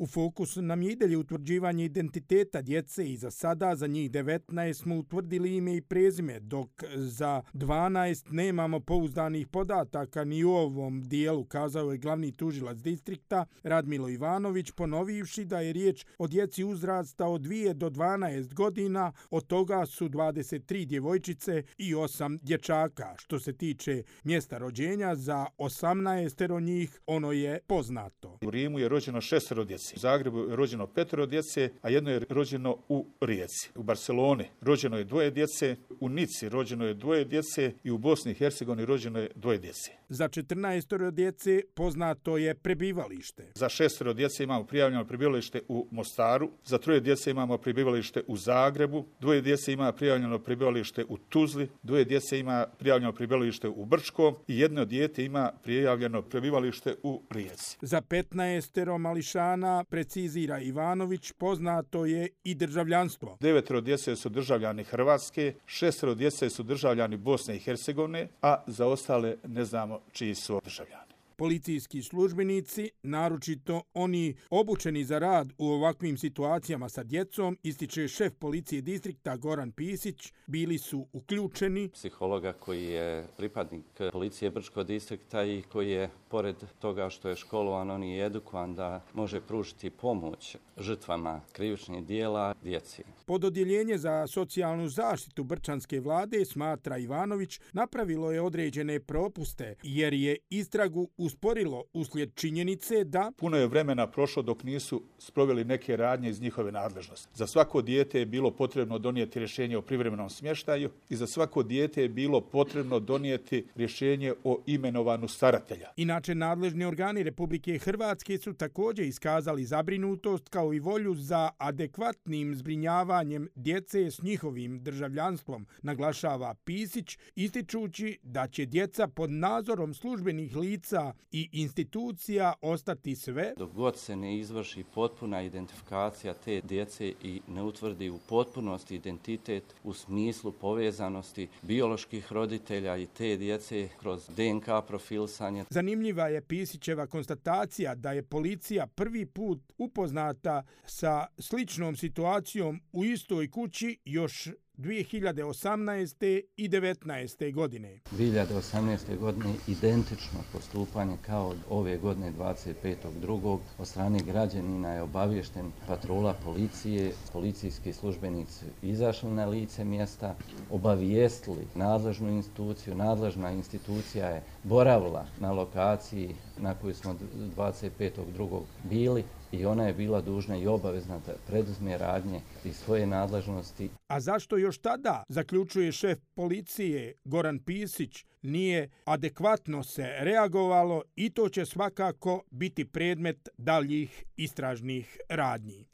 U fokusu nam je i dalje utvrđivanje identiteta djece i za sada za njih 19 smo utvrdili ime i prezime, dok za 12 nemamo pouzdanih podataka ni u ovom dijelu, kazao je glavni tužilac distrikta Radmilo Ivanović, ponovivši da je riječ o djeci uzrasta od 2 do 12 godina, od toga su 23 djevojčice i 8 dječaka. Što se tiče mjesta rođenja, za 18 njih ono je poznato. U Rimu je rođeno 6 djece, u Zagrebu je rođeno 5 djece, a jedno je rođeno u Rijeci. U Barceloni rođeno je 2 djece, u Nici rođeno je 2 djece i u Bosni i Hercegovini rođeno je 2 djece. Za 14 djece poznato je prebivalište. Za 6 djece imamo prijavljeno prebivalište u Mostaru, za 3 djece imamo prebivalište u Zagrebu, 2 djece ima prijavljeno prebivalište u Tuzli, 2 djece ima prijavljeno prebivalište u Brčkom i jedno dijete ima prijavljeno prebivalište u Rijeci. Za 15 mališana, precizira Ivanović, poznato je i državljanstvo. 9 djece su državljani Hrvatske, 6 djece su državljani Bosne i Hercegovine, a za ostale ne znamo čiji su državljani. Policijski službenici, naročito oni obučeni za rad u ovakvim situacijama sa djecom, ističe šef policije distrikta Goran Pisić, bili su uključeni. Psihologa koji je pripadnik policije Brčkog distrikta i koji je, pored toga što je školovan, on je edukovan da može pružiti pomoć žrtvama krivičnih dijela djeci. Pododjeljenje za socijalnu zaštitu brčanske vlade, smatra Ivanović, napravilo je određene propuste jer je istragu usporilo uslijed činjenice da puno je vremena prošlo dok nisu sproveli neke radnje iz njihove nadležnosti. Za svako dijete je bilo potrebno donijeti rješenje o privremenom smještaju i za svako dijete je bilo potrebno donijeti rješenje o imenovanju staratelja. Inače, nadležni organi Republike Hrvatske su također iskazali zabrinutost kao i volju za adekvatnim zbrinjavanjem djece s njihovim državljanstvom, naglašava Pisić, ističući da će djeca pod nadzorom službenih lica i institucija ostati sve dok god se ne izvrši potpuna identifikacija te djece i ne utvrdi u potpunosti identitet u smislu povezanosti bioloških roditelja i te djece kroz DNK profilisanje. Zanimljiva je Pisićeva konstatacija da je policija prvi put upoznata sa sličnom situacijom u istoj kući još 2018. i 2019. godine. 2018. godine identično postupanje kao ove godine 25.2. od strane građanina je obaviješten patrola policije, policijski službenici izašli na lice mjesta, obavijestili nadležnu instituciju, nadležna institucija je boravila na lokaciji na kojoj smo 25.2. bili i ona je bila dužna i obavezna da preduzme radnje iz svoje nadležnosti. A zašto još tada, zaključuje šef policije Goran Pisić, nije adekvatno se reagovalo i to će svakako biti predmet daljih istražnih radnji.